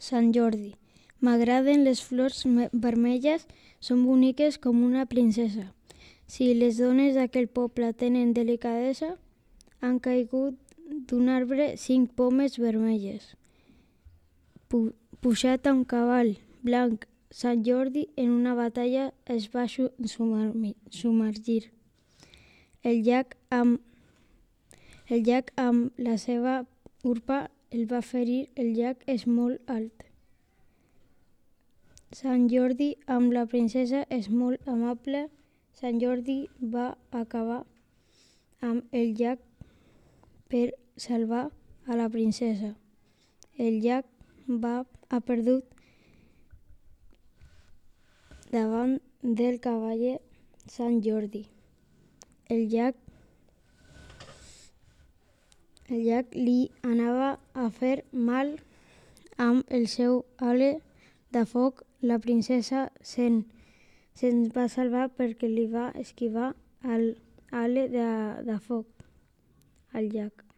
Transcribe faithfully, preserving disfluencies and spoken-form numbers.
Sant Jordi. M'agraden les flors vermelles, són boniques com una princesa. Si les dones d'aquell poble tenen delicadesa, han caigut d'un arbre cinc pomes vermelles. Pu Pujat a un cavall blanc, Sant Jordi en una batalla es va submergir. El llac amb, el llac amb la seva urpa el va ferir, el llac és molt alt. Sant Jordi amb la princesa és molt amable. Sant Jordi va acabar amb el llac per salvar a la princesa. El llac va ha perdut davant del cavaller Sant Jordi. El llac, el llac li anava a fer mal amb el seu ale de foc. La princesa se'n se'n va salvar perquè li va esquivar l'ale de, de foc al llac.